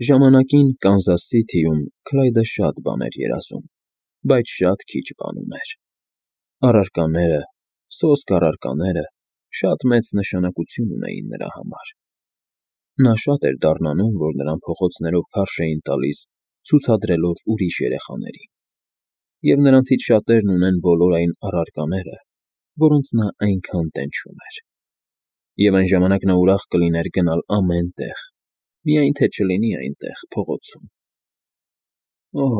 Ժամանակին Կանզաս Սիթիում Քլայդը շատ բան էր երազում, բայց շատ քիչ բան ուներ. առարկաները, սոսկ առարկաները շատ մեծ նշանակություն ունեին նրա համար. նա շատ էր դառնանում, որ նրան փողոցներով քարշ էին տալիս ցուցադրելով ուրիշ երեխաներին, և նրանցից շատերն ունեն բոլոր այն առարկաները, որոնց նա այնքան տենչում էր, և այն ժամանակ նա ուրախ կլիներ գնալ ամեն տեղ, միայն թե չլինի այնտեղ փողոցում… Օհ,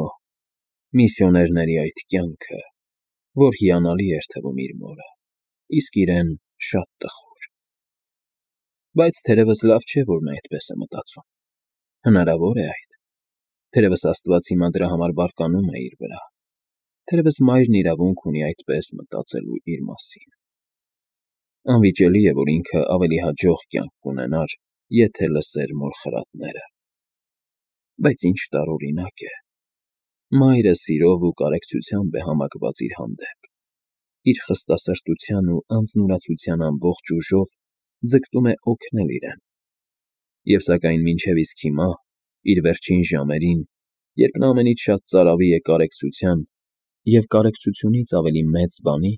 միսիոներների այդ կյանքը, որ հիանալի էր թվում իր մորը, իսկ իրեն շատ տխուր… Բայց թերևս լավ չէ, որ նա այդպես է մտածում… Հնարավոր է այդ… Թերևս Աստված հիմա դրա համար բարկանում է իր վրա… Թերևս Մայրն իրավունք ունի այդպես մտածելու իր մասին… Անվիճելի է, որ ինքը ավելի հաջող կյանք կունենար, եթե լսեր մոր խրատները… Բայց ինչ տարօրինակ է… Մայրը սիրով ու կարեկցությամբ է համակված իր հանդեպ, իր խստասրտության ու անձնուրացության ամբողջ ուժով ձգտում է օգնել իրեն… Եվ սակայն մինչև իսկ հիմա, իր վերջին ժամերին, երբ նա ամենից շատ ծարավի է կարեկցության և կարեկցությունից ավելի մեծ բանի,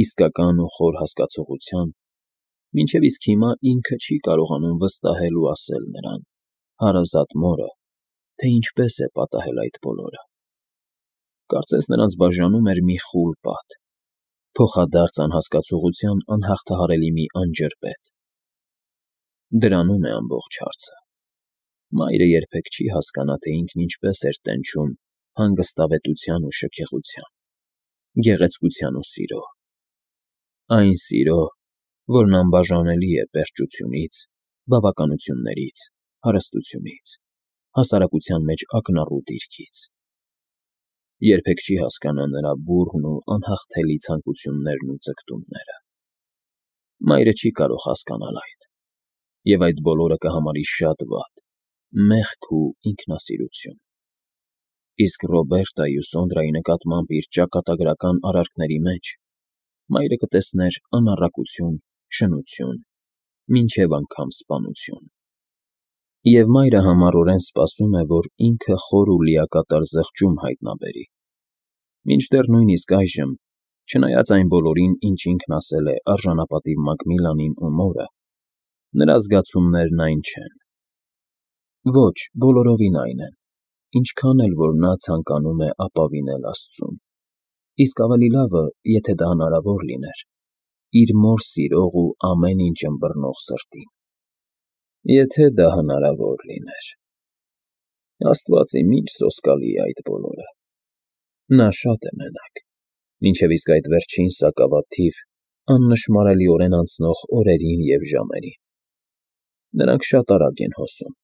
իսկական ու խոր հասկացողության, մինչև իսկ հիմա ինքը չի կարողանում վստահել ու ասել նրան՝ հարազատ մորը, թե ինչպես է պատահել այդ բոլորը… Կարծես նրանց բաժանում էր մի խուլ պատ, փոխադարձ անհասկացողության անհաղթահարելի մի անջրպետ… Դրանում է ամբողջ հարցը… Մայրը երբեք չի հասկանա, թե ինքն ինչպես էր տենչում հանգստավետության ու շքեղության, գեղեցկության ու սիրո… Այն սիրո, որն անբաժանելի է պերճությունից, բավականություններից, հարստությունից, հասարակության մեջ ակնառու դիրքից… Երբեք չի հասկանա նրա բուռն ու անհաղթելի ցանկություններն ու ձգտումները… Մայրը չի կարող հասկանալ այդ… Եվ այդ բոլորը կհամարի շատ վատ, մեղք ու ինքնասիրություն… Իսկ Ռոբերտայի ու Սոնդրայի նկատմամբ իր ճակատագրական արարքների մեջ մայրը կտեսներ անառակություն, շնություն, մինչև անգամ սպանություն… Եվ մայրը համառորեն սպասում է, որ ինքը խոր ու լիակատար զղջում հայտնաբերի… Մինչդեռ նույնիսկ այժմ, չնայած այն բոլորին, ինչ ինքն ասել է արժանապատիվ Մակմիլանին ու մորը, նրա զգացումներն այն չեն… Ոչ, բոլորովին այն են, ինչքան էլ որ նա ցանկանում է ապավինել Աստծուն… Իսկ ավելի լավը, եթե դա հնարավոր լիներ, իր մոր սիրող ու ամեն ինչ ըմբռնող սրտին… Եթե դա հնարավոր լիներ… Աստված իմ, ինչ սոսկալի է այդ բոլորը… Նա շատ է մենակ, մինչև իսկ այդ վերջին սակավաթիվ, աննշմարելիորեն անցնող օրերին և ժամերին… Նրանք շատ արագ են հոսում…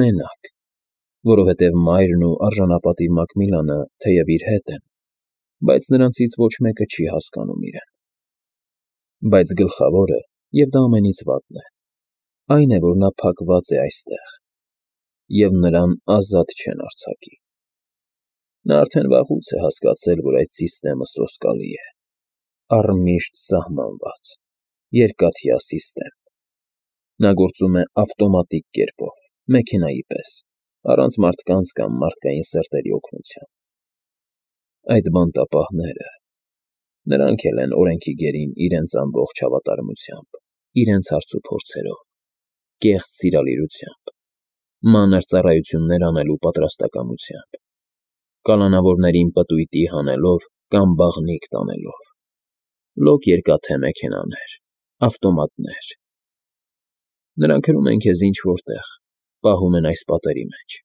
Մենակ… Որովհետև մայրն ու արժանապատիվ Մակմիլանը թեև իր հետ են, բայց նրանցից ոչ մեկը չի հասկանում իրեն… Բայց գլխավորը, և դա ամենից վատն է, այն է, որ նա փակված է այստեղ, և նրան ազատ չեն արձակի… Նա արդեն վաղուց է հասկացել, որ այդ սիստեմը սոսկալի է, առմիշտ սահմանված, երկաթյա սիստեմ… Նա գործում է ավտոմատիկ կերպով, մեքենայի պես, առանց մարդկանց կամ մարդկային սրտերի օգնության… Այդ բանտապահները… Նրանք էլ են օրենքի գերին իրենց ամբողջ հավատարմությամբ, իրենց հարցուփորձերով, կեղծ սիրալիրությամբ, մանր ծառայություններ անելու պատրաստակամությամբ, կալանավորներին պտույտի հանելով կամ բաղնիք տանելով, լոկ երկաթե մեքենաներ, ավտոմատներ… Նրանք հրում են քեզ ինչ֊որ տեղ, պահում են այս պատերի մեջ…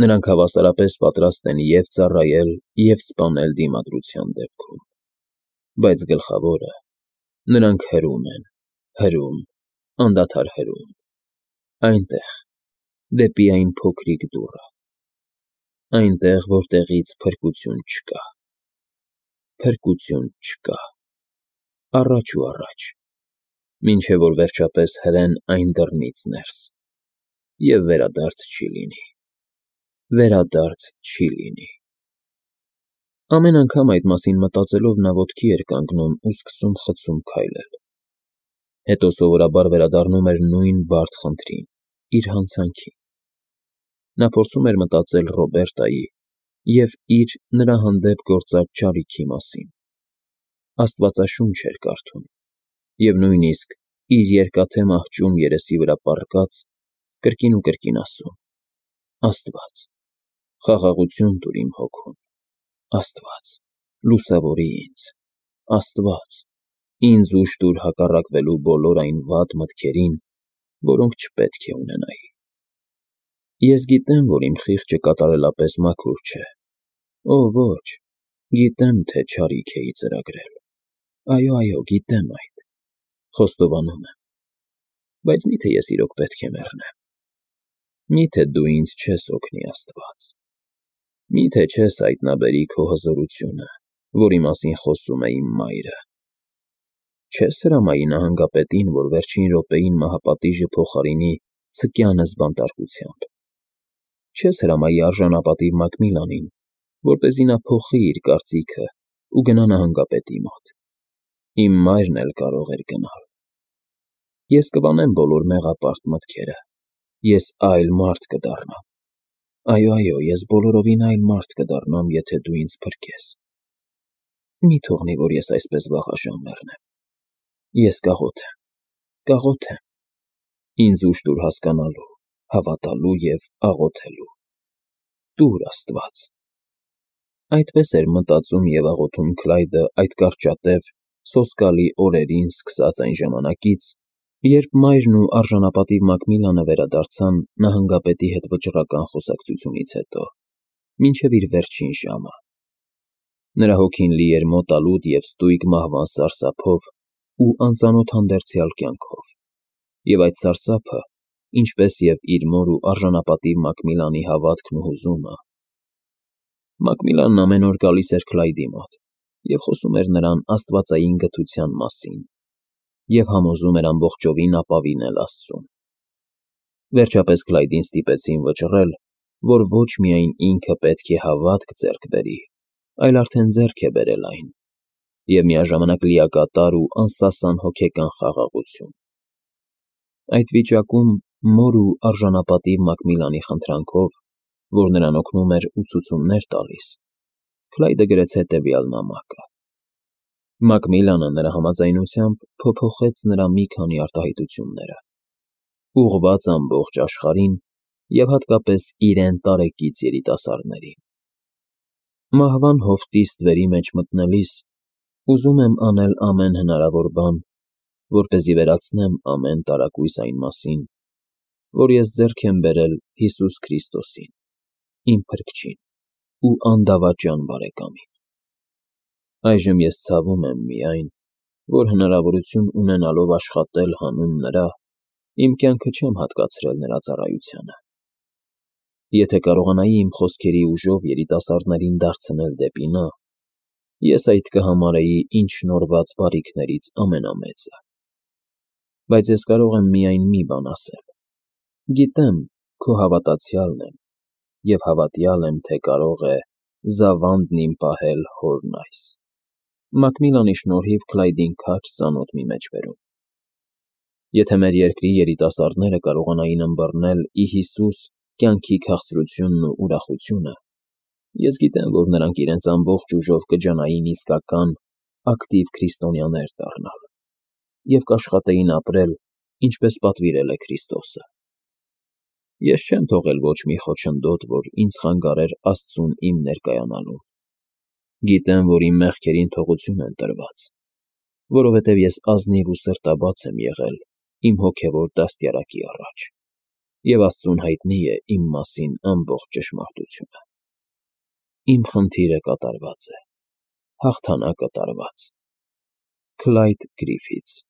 Նրանք հավասարապես պատրաստ են և ծառայել, և սպանել դիմադրության դեպքում… Բայց գլխավորը… Նրանք հրում են, հրում, անդադար հրում… Այնտեղ, դեպի այն փոքրիկ դուռը… Այնտեղ, որտեղից փրկություն չկա… Փրկություն չկա… Առաջ ու առաջ… Մինչև որ վերջապես հրեն այն դռնից ներս… Եվ վերադարձ չի լինի… Վերադարձ չի լինի… Ամեն անգամ այդ մասին մտածելով նա ոտքի էր կանգնում ու սկսում խցում քայլել… Հետո սովորաբար վերադառնում էր նույն բարդ խնդրին, իր հանցանքին… Նա փորձում էր մտածել Ռոբերտայի և իր նրա հանդեպ գործած չարիքի մասին, աստվածաշունչ էր կարդում և նույնիսկ իր երկաթե մահճում երեսի վրա պառկած կրկին ու կրկին ասում. «Աստված, խաղաղություն տուր իմ հոգուն, Աստված, լուսավորի ինձ, Աստված, ինձ ուժ տուր հակառակվելու բոլոր այն վատ մտքերին, որոնք չպետք է ունենայի։ Ես գիտեմ, որ իմ խիղճը կատարելապես մաքուր չէ, օ ոչ, գիտեմ, թե չարիք էի ծրագրել, այո, գիտեմ այդ, խոստովանում եմ, բայց մի՞թե ես իրոք պետք է մեռնեմ։ Մի՞թե դու ինձ չես օգնի, Աստված։ Մի՞թե չես հայտնաբերի քո հզորությունը, որի մասին խոսում է իմ մայրը։ Չես հրամայի նահանգապետին, որ վերջին րոպեին մահապատիժը փոխարինի ցկյանս բանտարկությամբ։ Չես հրամայի արժանապատիվ Մակմիլանին, որպեսզի նա փոխի իր կարծիքը ու գնա նահանգապետի մոտ։ Իմ մայրն էլ կարող էր գնալ։ Ես կվանեմ բոլոր մեղապարտ մտքերը, ես այլ մարդ կդառնամ։ Այո, ես բոլորովին այլ մարդ կդառնամ, եթե դու ինձ փրկես։ Մի թողնի, որ ես այսպես վաղաժամ մեռնեմ։ Ես կաղոթեմ։ Ինձ ուժ տուր հասկանալու, հավատալու և աղոթելու։ Տուր, Աստված։ Այդպես էր մտածում և աղոթում Քլայդը այդ կարճատև, սոսկալի օրերին սկսած այն ժամանակից, երբ մայրն ու արժանապատիվ Մակմիլանը վերադարձան նահանգապետի հետ վճռական խոսակցությունից հետո, մինչև իր վերջին ժամը։ Նրա հոգին լի էր մոտալուտ և ստույգ մահվան սարսափով ու անծանոթ հանդերձյալ կյանքով, և այդ սարսափը, ինչպես և իր մոր ու արժանապատիվ Մակմիլանի հավատքն ու հուզումը։ Մակմիլանն ամեն օր գալիս էր Քլայդի մոտ և խոսում էր նրան աստվածային գթության մասին և համոզում էր ամբողջովին ապավինել Աստծուն։ Վերջապես Քլայդին ստիպեցին վճռել, որ ոչ միայն ինքը պետք է հավատք ձեռք բերի, այլ արդեն ձեռք է բերել այն, և միաժամանակ լիակատար ու անսասան հոգեկան խաղաղություն։ Այդ վիճակում մոր ու արժանապատիվ Մակմիլանի խնդրանքով, որ նրան օգնում էր ու ցուցումներ տալիս, Քլայդը գրեց հետևյալ նամակը։ Մակմիլանը նրա համաձայնությամբ փոփոխեց նրա մի քանի արտահայտությունները, ուղղված ամբողջ աշխարհին և հատկապես իրեն տարեկից երիտասարդներին։ Մահվան հովտի ստվերի մեջ մտնելիս ուզում եմ անել ամեն հնարավոր բան, որպեսզի վերացնեմ ամեն տարակույս այն մասին, որ ես ձեռք եմ բերել Հիսուս Քրիստոսին, իմ Փրկչին ու անդավաճան բարեկամին։ Այժմ ես ցավում եմ միայն, որ հնարավորություն ունենալով աշխատել հանուն նրա, իմ կյանքը չեմ հատկացրել նրա ծառայությանը։ Եթե կարողանայի իմ խոսքերի ուժով երիտասարդներին դարձնել դեպի նա, ես այդ կհամարեի ինձ շնորհված բարիքներից ամենամեծը։ Բայց ես կարող եմ միայն մի բան ասել. գիտեմ, քո հավատացյալն եմ և հավատյալ եմ, թե կարող է զավանդն իմ պահել հորն այս։ Մակմիլանի շնորհիվ Քլայդին քաջ ծանոթ մի մեջ բերում։ Եթե մեր երկրի երիտասարդները կարողանային ըմբռնել ի Հիսուս կյանքի քաղցրությունն ու ուրախությունը, ես գիտեմ, որ նրանք իրենց ամբողջ ուժով կջանային իսկական, ակտիվ քրիստոնյաներ դառնալ և կաշխատեին ապրել, ինչպես պատվիրել է Քրիստոսը։ Ես չեմ թողել ոչ մի խոչընդոտ, որ ինձ խանգարեր Աստծուն իմ ներկայանալուն։ Գիտեմ, որ իմ մեղքերին թողություն են տրված, որովհետև ես ազնիվ ու սրտաբաց եմ եղել իմ հոգևոր դաստիարակի առաջ, և Աստծուն հայտնի է իմ մասին ամբողջ ճշմարտությունը։ Իմ խնդիրը կատարված է, հաղթանակը տարված։ Քլայդ Գրիֆիթս։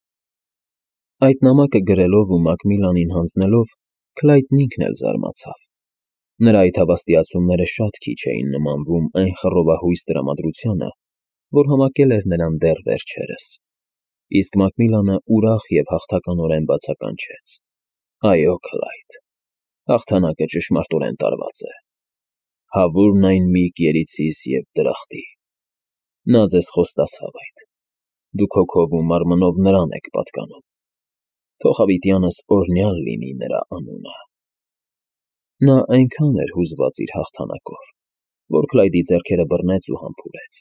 Այդ նամակը գրելով ու Մակմիլանին հանձնելով, Քլայդն ինքն էլ զարմացավ։ Նրա այդ հավաստիացումները շատ քիչ էին նմանվում այն խռովահույս տրամադրությանը, որ համակել էր նրան դեռ վերջերս։ Իսկ Մակմիլանը ուրախ և հաղթականորեն բացականչեց. Այո, Քլայդ, հաղթանակը ճշմարտորեն տարված է։ Հավուրն այն մի երիցիս և դրախտի։ Նա ձեզ խոստացավ այդ։ Դուք հոգով ու մարմնով նրան եք պատկանում։ Թող հավիտյանս օրհնյալ լինի նրա անունը։ Նա այնքան էր հուզված իր հաղթանակով, որ Քլայդի ձեռքերը բռնեց ու համբուրեց,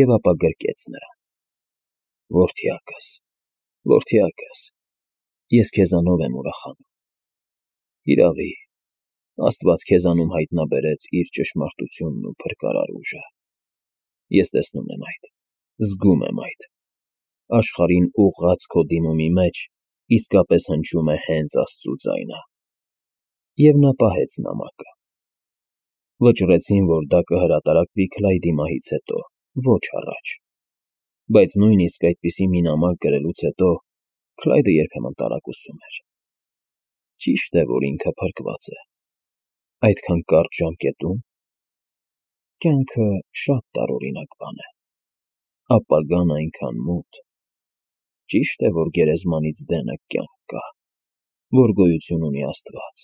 և ապա գրկեց նրան։ Որդյակս, որդյակս, ես քեզանով եմ ուրախանում։ Իրավի, Աստված քեզանում հայտնաբերեց իր ճշմարտությունն ու փրկարար ուժը։ Ես տեսնում եմ այդ, զգում եմ այդ։ Աշխարհին ուղղած քո դիմումի մեջ իսկապես հնչում է հենց Աստծու ձայնը։ Եվ նա պահեց նամակը։ Վճռեցին, որ դա կհրատարակվի Քլայդի մահից հետո, ոչ առաջ։ Բայց նույնիսկ այդպիսի մի նամակ գրելուց հետո Քլայդը երբեմն տարակուսում էր։ Ճիշտ է, որ ինքը փրկված է։ Այդքան կարճ ժամկետում կյանքը շատ տարօրինակ բան է։ Ապագան այնքան մութ։ Ճիշտ է, որ գերեզմանից դենը կյանք կա, որ գոյություն ունի Աստված,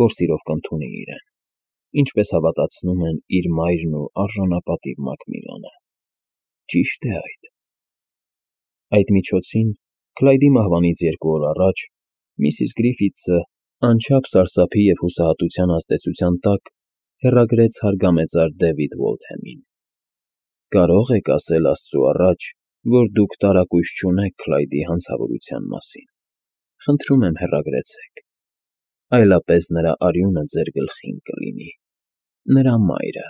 որ սիրով կընդունի իրեն, ինչպես հավատացնում են իր մայրն ու արժանապատիվ Մակմիլանը։ Ճիշտ է այդ։ Այդ միջոցին Քլայդի մահվանից 2 օր առաջ միսիս Գրիֆիթսը անչափ սարսափի և հուսահատության ազդեցության տակ հեռագրեց հարգամեծար Դեվիդ Ուոլթհեմին։ Կարո՞ղ եք ասել Աստծու առաջ, որ դուք տարակույս չունեք Քլայդի հանցավորության մասին։ Խնդրում եմ հեռագրեցեք, այլապես նրա արյունը ձեր գլխին կլինի, նրա մայրը։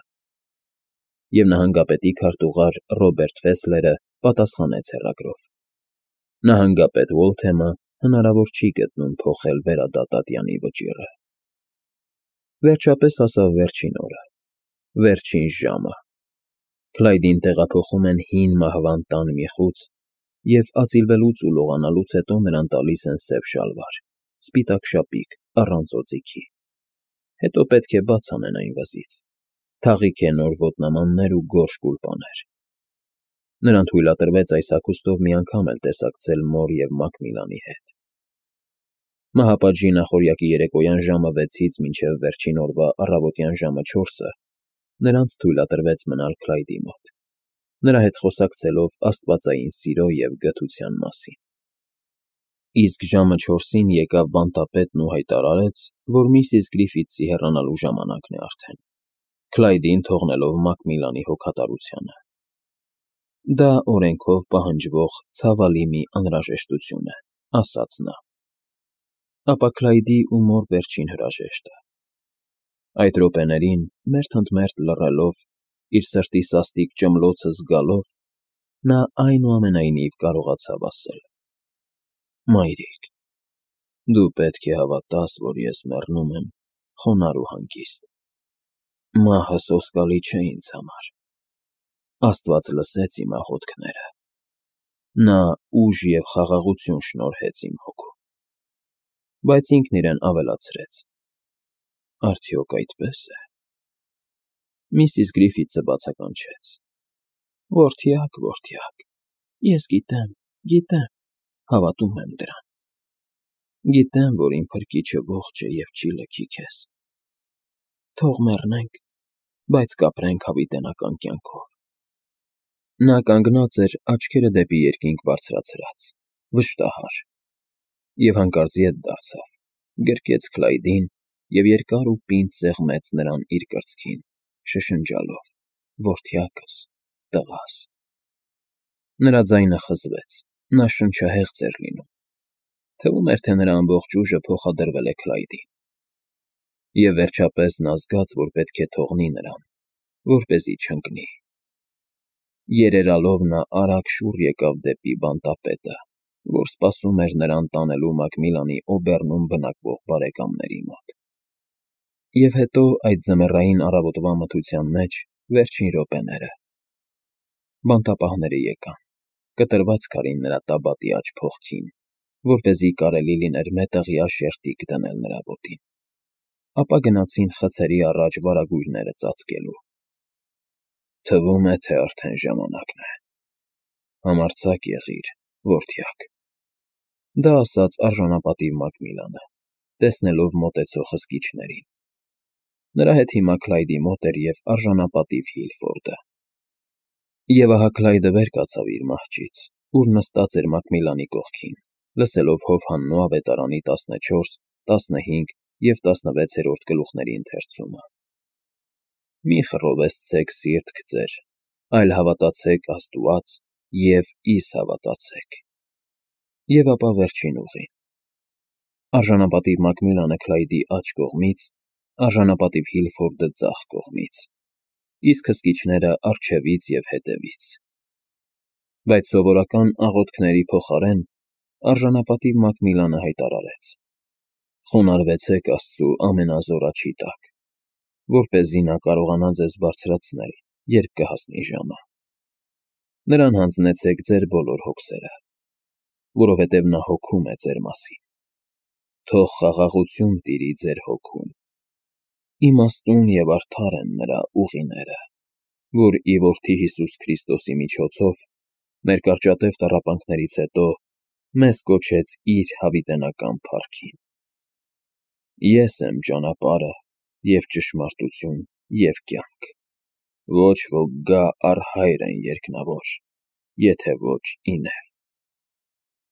Եվ նահանգապետի քարտուղար Ռոբերտ Ֆեսլերը պատասխանեց հեռագրով։ Նահանգապետ Ուոլթհեմը հնարավոր չի գտնում փոխել վերադատատյանի վճիռը։ Վերջապես հասավ վերջին օրը, վերջին ժամը։ Քլայդին տեղափոխում են հին մահվան տան մի խուց և ածիլվելուց ու լողանալուց հետո նրան տալիս են սև շալվար, սպիտակ շապիկ, առանց օձիքի։ Հետո պետք է բաց անեն այն վզից, թաղիքե նոր ոտնամաններ ու գորշ գուլպաներ։ Նրան թույլատրվեց այս հագուստով մի անգամ էլ տեսակցել մոր և Մակմիլանի հետ։ Մահապատժի նախօրյակի երեկոյան ժամը 6-ից մինչև վերջին օրվա առավոտյան ժամը 4-ը նրանց թույլատրվեց մնալ Քլայդի մոտ, նրա հետ խոսակցելով աստվածային սիրո և գթության մասին։ Իսկ ժամը 4-ին եկավ բանտապետն ու հայտարարեց, որ միսիս Գրիֆիթսի հեռանալու ժամանակն է արդեն, Քլայդին թողնելով Մակմիլանի հոգատարությանը։ Դա օրենքով պահանջվող ցավալի մի անհրաժեշտություն է, ասաց նա։ Ապա Քլայդի ու մոր վերջին հրաժեշտը։ Այդ րոպեներին, մերթ ընդ մերթ լռելով, իր սրտի սաստիկ ճմլոցը զգալով, նա այնուամենայնիվ կարողացավ ասել. «Մայրիկ, դու պետք է հավատաս, որ ես մեռնում եմ խոնարհ ու հանգիստ։ Մահը սոսկալի չէ ինձ համար։ Աստված լսեց իմ աղոթքները։ Նա ուժ և խաղաղություն շնորհեց իմ հոգուն»։ Բայց ինքն իրեն ավելացրեց. «Արդյոք այդպե՞ս է»։ Միսիս Գրիֆիթսը բացականչեց. «Որդյակ, որդյակ, ես գիտեմ, հավատում եմ դրան։ Գիտեմ, որ իմ փրկիչը ողջ է և չի լքի քեզ։ Թող մեռնենք, բայց կապրենք հավիտենական կյանքով»։ Նա կանգնած էր աչքերը դեպի երկինք բարձրացրած, վշտահար, և հանկարծ ետ դարձավ, գրկեց Քլայդին և երկար ու պինդ սեղմեց նրան իր կրծքին, շշնջալով. «Որդյակս, տղաս»։ Նրա ձայնը խզվեց, նա շնչահեղձ էր լինում։ Թվում էր, թե նրա ամբողջ ուժը փոխադրվել է Քլայդին։ Եվ վերջապես նա զգաց, որ պետք է թողնի նրան, որպեսզի չընկնի։ Երերալով նա արագ շուռ եկավ դեպի բանտապետը, որ սպասում էր նրան տանելու Մակմիլանի Օբեռնում բնակվող բարեկամների մոտ։ Եվ հետո այդ ձմեռային առավոտվա մթության մեջ վերջին րոպեները։ Բանտապահները եկան, կտրված քարին նրա տաբատի աջ փողքին, որպեսզի կարելի լիներ մետաղյա շերտիկ դնել նրա ոտին։ Ապա գնացին խցերի առաջ վարագույրները ծածկելու։ «Թվում է, թե արդեն ժամանակն է։ Համարձակ եղիր, որդյակ»։ Դա ասաց արժանապատիվ Մակմիլանը, տեսնելով մոտեցող հսկիչներին։ Նրա հետ հիմա Քլայդի մոտ էր և արժանապատիվ Հիլֆորդը։ Եվ ահա Քլայդը վեր կացավ իր մահճից, ուր նստած էր Մակմիլանի կողքին, լսելով Հովհաննու ավետարանի 14, 15 և 16-րդ գլուխների ընթերցումը։ Մի խռովեսցեք սիրտ գծեր, այլ հավատացեք Աստված և իս հավատացեք։ Եվ ապա վերջին ուղին։ Արժանապատիվ Մակմիլանը Քլայդի աջ կողմից, արժանապատիվ Հիլֆորդը ձախ կողմից, իսկ հսկիչները առջևից և հետևից։ Բայց սովորական աղոթքների փոխարեն արժանապատիվ Մակմիլանը հայտարարեց. «Խոնարհվեցեք Աստծու ամենազոր աջի տակ, որպեսզի նա կարողանա ձեզ բարձրացնել, երբ կհասնի ժամը։ Նրան հանձնեցեք ձեր բոլոր հոգսերը, որովհետև նա հոգում է ձեր մասին։ Թող խաղաղություն տիրի ձեր հոգում։ Իմաստուն և արդար են նրա ուղիները, որ ի Որդի Հիսուս Քրիստոսի միջոցով մեր կարճատև տառապանքներից հետո մեզ կոչեց իր հավիտենական փառքին։ Ես եմ ճանապարհը և ճշմարտություն և կյանք. ոչ ոք գա առ Հայրն երկնավոր, եթե ոչ ինև»։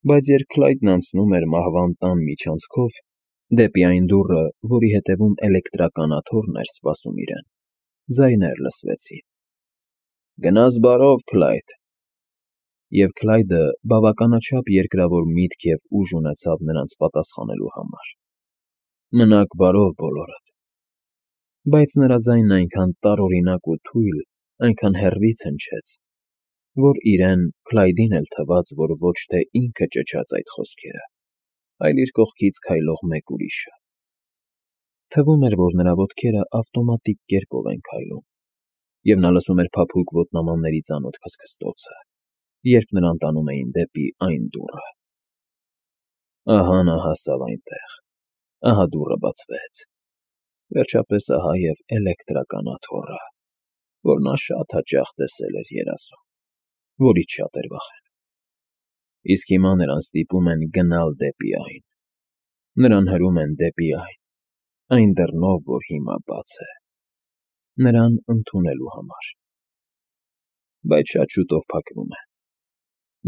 Բայց երբ Քլայդն անցնում էր մահվան տան միջանցքով, դեպի այն դուռը, որի հետևում էլեկտրականաթոռն էր սպասում իրեն, ձայներ լսվեցին. «Գնաս բարով, Քլայդ»։ Եվ Քլայդը բավականաչափ երկրավոր միտք և ուժ ունեցավ նրանց պատասխանելու համար. «Մնաք բարով բոլորդ»։ Բայց նրա ձայնն այնքան տարօրինակ ու թույլ, այնքան հեռվից հնչեց, որ իրեն, Քլայդին էլ թվաց, որ ոչ թե ինքը ճչաց այդ խոսքերը, այլ իր կողքից քայլող մեկ ուրիշը։ Թվում էր, որ նրա ոտքերը ավտոմատիկ կերպով են քայլում, և նա լսում էր փափուկ ոտնամանների ծանոթ քստքստոցը, երբ նրան տանում էին դեպի այն դուռը։ Ահա նա հասավ այնտեղ, ահա դուռը բացվեց։ Վերջապես ահա և էլեկտրականաթոռը, որ նա շատ հաճախ տեսել էր երազում, որից շատ էր վախենում։ Իսկ հիմա նրան ստիպում են գնալ դեպի այն։ Նրան հրում են դեպի այն դռնով, որ հիմա բաց է, նրան ընդունելու համար։ Բայց շատ շուտով փակվում է։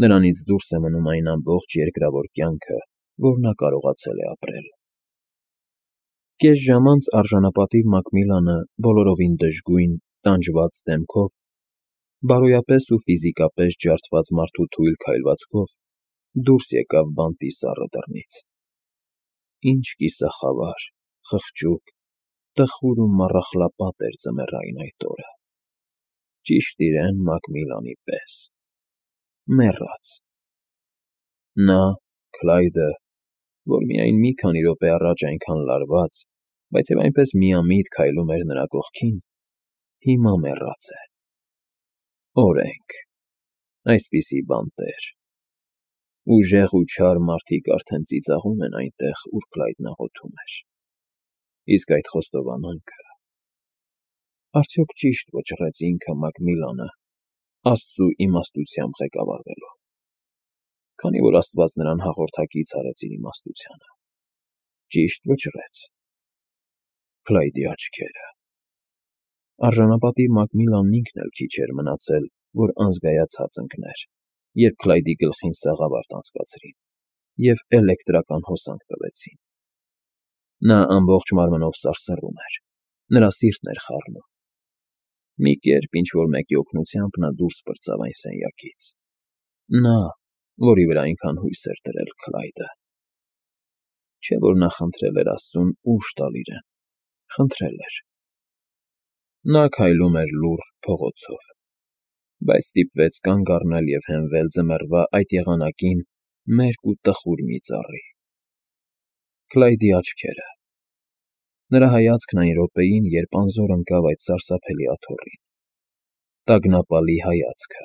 Նրանից դուրս է մնում այն ամբողջ երկրավոր կյանքը, որ նա կարողացել է ապրել։ Կես ժամ անց արժանապատիվ Մակմիլանը բոլորովին դժգույն, տանջված դեմքով, բարոյապես ու ֆիզիկապես ջարդված մարդու թույլ քայլվածքով դուրս եկավ բանտի սառը դռնից։ Ինչ կիսախավար, խղճուկ, տխուր ու մառախլապատ էր ձմեռային այդ օրը։ Ճիշտ իրեն Մակմիլանի պես։ Մեռած։ Նա, Քլայդը, որ միայն մի քանի րոպե առաջ այնքան լարված, բայց և այնպես միամիտ քայլում էր նրա կողքին, հիմա մեռած է։ Օրենք, այսպիսի բանտեր։ Ուժեղ ու չար մարդիկ արդեն ծիծաղում են այնտեղ, ուր Քլայդն աղոթում էր։ Իսկ այդ խոստովանանքը… Արդյոք ճիշտ վճռեց ինքը Մակմիլանը, Աստծու իմաստությամբ ղեկավարվելով, քանի որ Աստված նրան հաղորդակից արեց իր իմաստությանը։ Ճիշտ վճռեց։ Քլայդի աչքերը… Արժանապատիվ Մակմիլանն ինքն էլ քիչ էր մնացել, որ անզգայացած ընկներ, երբ Քլայդի գլխին սաղավարտ անցկացրին և էլեկտրական հոսանք տվեցին։ Նա ամբողջ մարմնով սարսռում էր, նրա սիրտն էր խառնում։ Մի կերպ ինչ֊որ մեկի օգնությամբ նա դուրս պրծավ այն սենյակից։ Նա, որի վրա այնքան հույս էր դրել Քլայդը։ Չէ՞ որ նա խնդրել էր Աստծուն ուժ տալ իրեն, խնդրել էր։ Նա քայլում էր լուռ փողոցով, բայց ստիպվեց կանգ առնել և հենվել ձմեռվա այդ եղանակին մերկ ու տխուր մի ծառի։ Քլայդի աչքերը… Նրա հայացքն այն րոպեին, երբ անզոր ընկավ այդ սարսափելի աթոռին։ Տագնապալի հայացքը,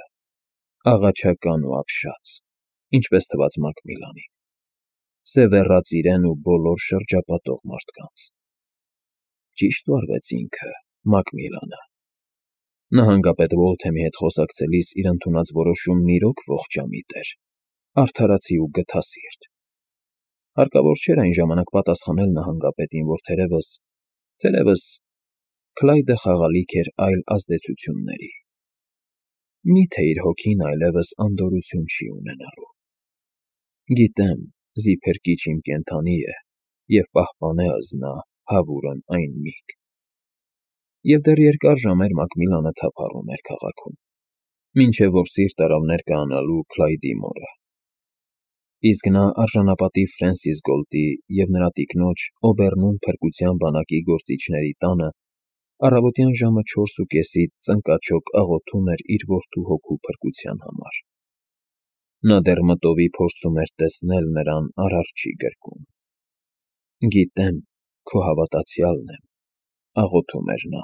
աղաչական ու ապշած, ինչպես թվաց Մակմիլանին, սևեռած իրեն ու բոլոր շրջապատող մարդկանց։ Ճիշտ վարվեց ինքը, Մակմիլանը։ Նահանգապետ Ուոլթեմի հետ խոսակցելիս իր ընդունած որոշումն իրոք ողջամիտ էր, արդարացի ու գթասիրտ։ Հարկավոր չէր այն ժամանակ պատասխանել նահանգապետին, որ թերևս Քլայդը խաղալիք էր այլ ազդեցությունների։ Մի՞թե իր հոգին այլևս անդորրություն չի ունենալու։ Գիտեմ, զիփերկիչ իմ կենդանի է, և պահպանե ըզնա հավուրն այն միգ։ Եվ դեռ երկար ժամեր Մակմիլանը թափառում էր քաղաքում, մինչև որ սիրտ արավ ներկայանալու Քլայդի մորը։ Իսկ նա արժանապատիվ Ֆրենսիս Գոլտի և նրա տիկնոջ Օբեռնում փրկության բանակի գործիչների տանը առավոտյան ժամը 4:30-ից ծնկաչոք աղոթում էր իր որդու հոգու փրկության համար։ Նա դեռ մտովի փորձում էր տեսնել նրան Արարչի գրկում։ «Գիտեմ, քո հավատացյալն եմ»,֊ աղոթում էր նա։